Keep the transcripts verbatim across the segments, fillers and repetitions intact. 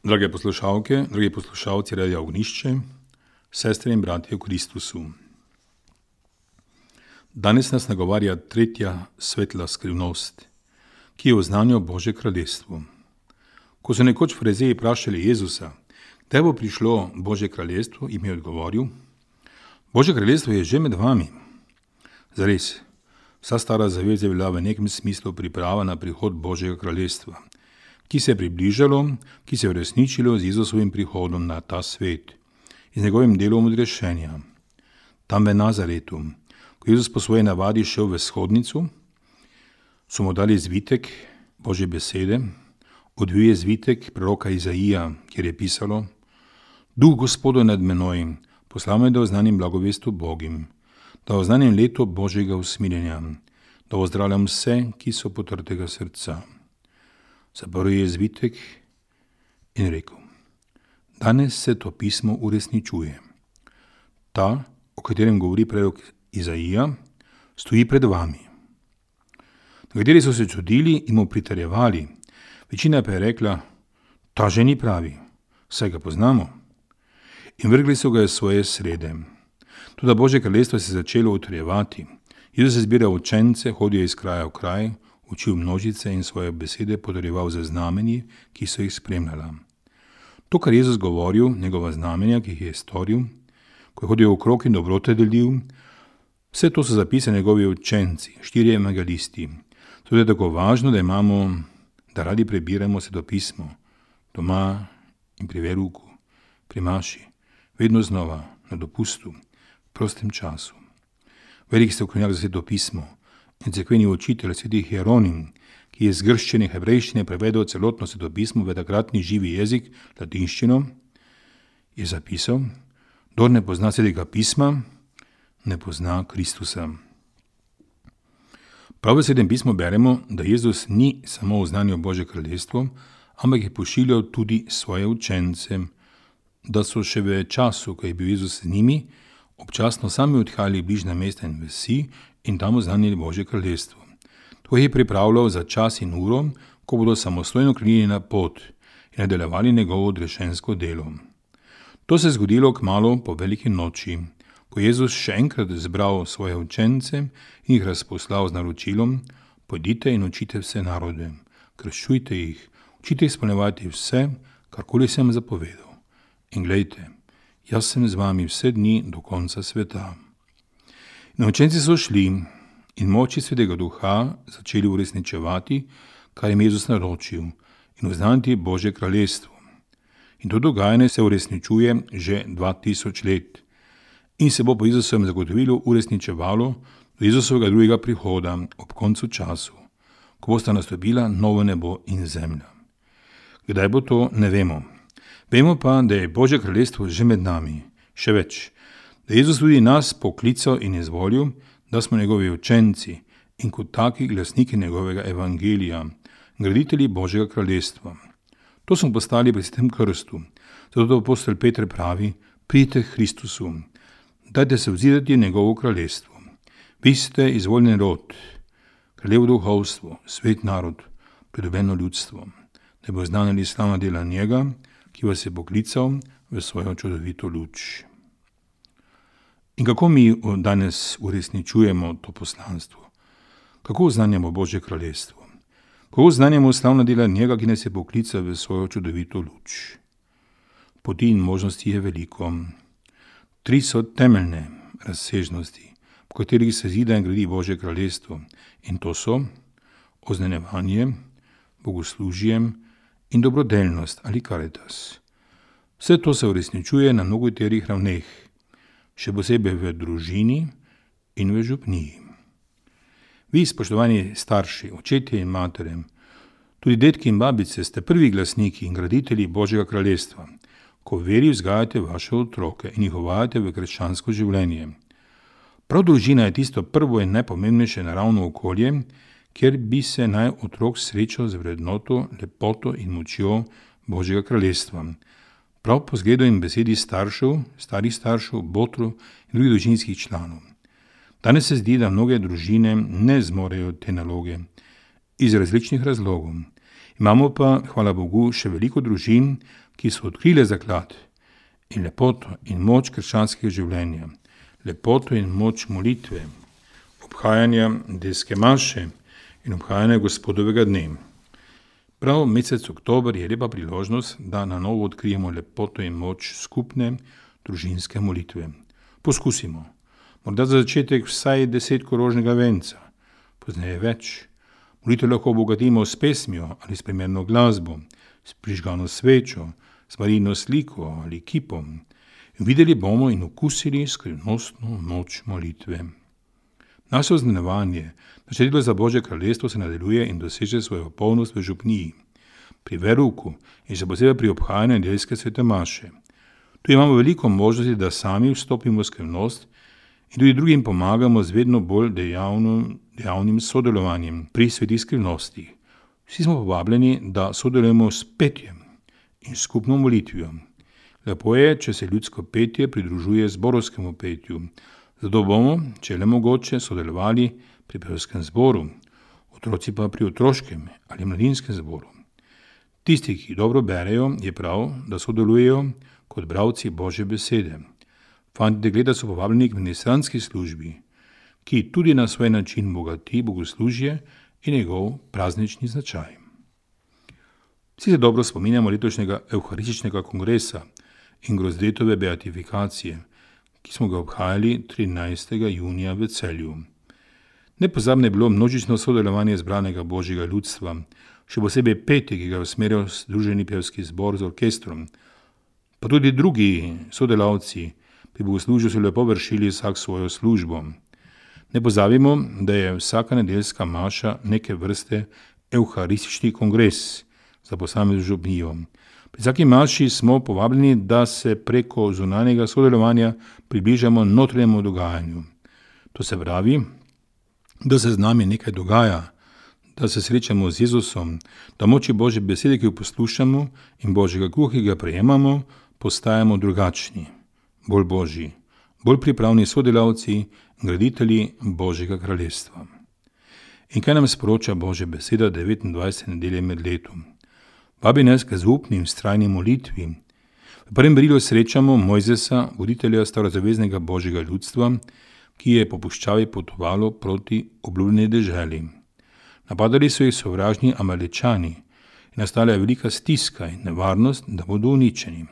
Drage poslušalke, dragi poslušalci Radia Ognišče, sestre in bratje v Kristusu. Danes nas nagovarja tretja svetla skrivnost, ki je v znanju Božje kraljestvo. Ko so nekoč farizeji vprašali Jezusa, kdaj bo prišlo Božje kraljestvo, jim je odgovoril: Božje kraljestvo je že med vami. Zares, vsa stara zaveza je bila v nekem smislu priprava na prihod Božjega kraljestva, ki se je približalo, ki se je uresničilo z Jezusovim prihodom na ta svet in z njegovim delom odrešenja. Tam v Nazaretu, ko je Jezus po svoji navadi šel v shodnicu, so mu dali zvitek Božje besede, odvil je zvitek proroka Izaija, kjer je pisalo: Duh Gospodov nad menoj, poslal me, da oznanim blagovest Bogim, da oznanim leto Božjega usmiljenja, da ozdravljam vse, ki so potrtega srca. Zaprl je zvitek in rekel: Danes se to pismo uresničuje. Ta, o katerem govori prorok Izaija, stoji pred vami. Nekateri so se čudili in mu pritrjevali, večina pa je rekla: Ta že ni pravi, saj ga poznamo. In vrgli so ga iz svoje srede. Toda Božje kraljestvo se je začelo utrjevati. Jezus je zbiral učence, hodil iz kraja v kraj, učil množice in svoje besede potrjeval za znamenji, ki so jih spremljala. To, kar je Jezus govoril, njegova znamenja, ki jih je storil, ko je hodil okrog in dobrote delil, vse to so zapisali njegovi učenci, štirje evangelisti. To je tako važno, da imamo, da radi prebiramo svetopismo, doma in pri veruku, pri maši, vedno znova, na dopustu, v prostem času. Velik strokovnjak za svetopismo in cerkveni učitelj svetih Hieronim, ki je z grščine in hebrejščine prevedel celotno svetopismo v takratni živi jezik, latinščino, je zapisal: Kdor ne pozna svetega pisma, ne pozna Kristusa. Prav v svetem pismu beremo, da Jezus ni samo v znanju Božje kraljestvo, ampak je pošiljal tudi svoje učence, da so še v času, ko je bil Jezus z njimi, občasno sami odhajali v bližnja mesta in vasi in tam oznanili Božje kraljestvo. To je pripravljal za čas in uro, ko bodo samostojno krenili na pot in nadaljevali njegovo odrešensko delo. To se je zgodilo kmalu po veliki noči, ko je Jezus še enkrat zbral svoje učence in jih razposlal z naročilom: Pojdite in učite vse narode, krščujte jih, učite izpolnjevati vse, karkoli sem zapovedal. In glejte, jaz sem z vami vse dni do konca sveta. In učenci so šli in moči Svetega Duha začeli uresničevati, kar jim Jezus naročil, in oznaniti Božje kraljestvo. In to dogajanje se uresničuje že dva tisoč let in se bo po Jezusovem zagotovilu uresničevalo do Jezusovega drugega prihoda ob koncu času, ko bosta nastopila novo nebo in zemlja. Kdaj bo to, ne vemo. Vemo pa, da je Božje kraljestvo že med nami. Še več, da je Jezus tudi nas poklical in izvolil, da smo njegovi učenci in kot taki glasniki njegovega evangelija, graditelji Božjega kraljestva. To smo postali pri svetem krstu. Zato apostol Peter pravi: Pridite k Kristusu, dajte se vzidati v njegovo kraljestvo. Vi ste izvoljeni rod, kraljevo duhovstvo, svet narod, pridobljeno ljudstvo, da bo znanili slavna dela njega, ki vas je poklical v svojo čudovito luč. In kako mi danes uresničujemo to poslanstvo? Kako oznanjamo Božje kraljestvo? Kako oznanjamo slavna dela njega, ki nas je poklical v svojo čudovito luč? Poti in možnosti je veliko. Tri so temeljne razsežnosti, po katerih se zida in gradi Božje kraljestvo. In to so oznanjevanje, bogoslužje in dobrodelnost ali karitas. Vse to se uresničuje na mnogoterih ravneh, še posebej v družini in v župniji. Vi, spoštovani starši, očetje in matere, tudi dedki in babice, ste prvi glasniki in graditelji Božjega kraljestva, ko v veri vzgajate vaše otroke in jih uvajate v krščansko življenje. Prav družina je tisto prvo in najpomembnejše naravno okolje, kjer bi se naj otrok srečal z vrednoto, lepoto in močjo Božjega kraljestva. Prav po zgledu in besedi staršev, starih staršev, botrov in drugih družinskih članov. Danes se zdi, da mnoge družine ne zmorejo te naloge iz različnih razlogov. Imamo pa, hvala Bogu, še veliko družin, ki so odkrile zaklad in lepoto in moč krščanskega življenja, lepoto in moč molitve, obhajanja nedeljske maše in obhajanja Gospodovega dne. Prav mesec oktober je lepa priložnost, da na novo odkrijemo lepoto in moč skupne družinske molitve. Poskusimo. Morda za začetek vsaj deset korožnega venca, pozneje več. Molitev lahko obogatimo s pesmijo ali s primerno glasbo, s prižgano svečo, s Marijino sliko ali kipom. Videli bomo in okusili skrivnostno moč molitve. Naše oznanjevanje, naše delo za Božje kraljestvo se nadaljuje in doseže svojo polnost v župniji, pri verouku in še posebej pri obhajanju nedeljske svete maše. Tu imamo veliko možnosti, da sami vstopimo v skrivnost in tudi drugim pomagamo z vedno bolj dejavno, dejavnim sodelovanjem pri svetih skrivnostih. Vsi smo povabljeni, da sodelujemo s petjem in skupno molitvijo. Lepo je, če se ljudsko petje pridružuje zborovskemu petju. Zato bomo, če le mogoče, sodelovali pri pevskem zboru, otroci pa pri otroškem ali mladinskem zboru. Tisti, ki dobro berejo, je prav, da sodelujejo kot bralci Božje besede. Fanti dekleta so povabljeni k ministranski službi, ki tudi na svoj način bogati bogoslužje in njegov praznični značaj. Vsi se dobro spominjamo letošnjega evharističnega kongresa in Grozdetove beatifikacije, ki smo ga obhajali trinajstega junija v Celju. Nepozabno je bilo množično sodelovanje zbranega Božjega ljudstva, še posebej petje, ki ga je usmerjal Združeni pevski zbor z orkestrom. Pa tudi drugi sodelavci pri bogoslužju so lepo vršili vsak svojo službo. Ne pozabimo, da je vsaka nedeljska maša neke vrste evharistični kongres za posamezno župnijo. Pri vsaki maši smo povabljeni, da se preko zunanjega sodelovanja približamo notranjemu dogajanju. To se pravi, da se z nami nekaj dogaja, da se srečamo z Jezusom, da moči Božje besede, ki jo poslušamo, in Božjega kruha, ki ga prejemamo, postajamo drugačni, bolj Božji, bolj pripravni sodelavci, graditelji Božjega kraljestva. In kaj nam sporoča Božja beseda devetindvajsete nedelje med letom? Vabi nas k zaupni in vztrajni molitvi. V prvem berilu srečamo Mojzesa, voditelja starozaveznega Božjega ljudstva, ki je po puščavi potovalo proti obljubljeni deželi. Napadali so jih sovražni Amalečani in nastala je velika stiska in nevarnost, da bodo uničeni.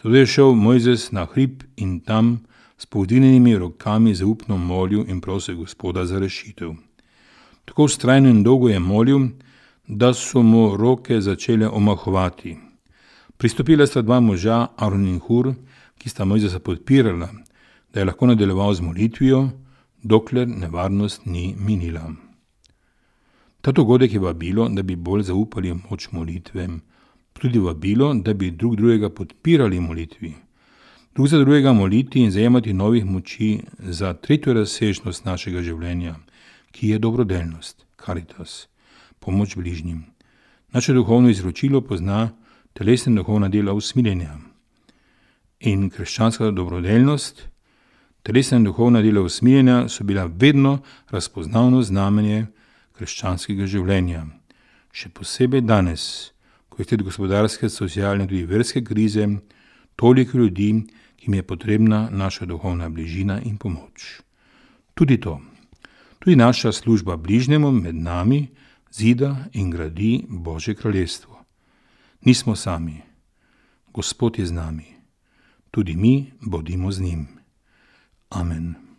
Zato je šel Mojzes na hrib in tam s povdinjenimi rokami zaupno molil in prosil Gospoda za rešitev. Tako vztrajno in dolgo je molil, da so mu roke začele omahovati. Pristopila sta dva moža, Aron in Hur, ki sta Mojzesa podpirala, da je lahko nadaljeval z molitvijo, dokler nevarnost ni minila. Ta dogodek je vabilo, da bi bolj zaupali moč molitve, tudi vabilo, da bi drug drugega podpirali molitvi, drug za drugega moliti in zajemati novih moči za tretjo razsežnost našega življenja, ki je dobrodelnost, caritas, pomoč bližnjim. Naše duhovno izročilo pozna telesne duhovna dela usmiljenja. In krščanska dobrodelnost, telesna in duhovna dela usmiljenja so bila vedno razpoznavno znamenje krščanskega življenja. Še posebej danes, ko je sled gospodarske, socialne in tudi verske krize, toliko ljudi, ki jim je potrebna naša duhovna bližina in pomoč. Tudi to, tudi naša služba bližnjemu med nami zida in gradi Božje kraljestvo. Nismo sami, Gospod je z nami, tudi mi bodimo z njim. Amen.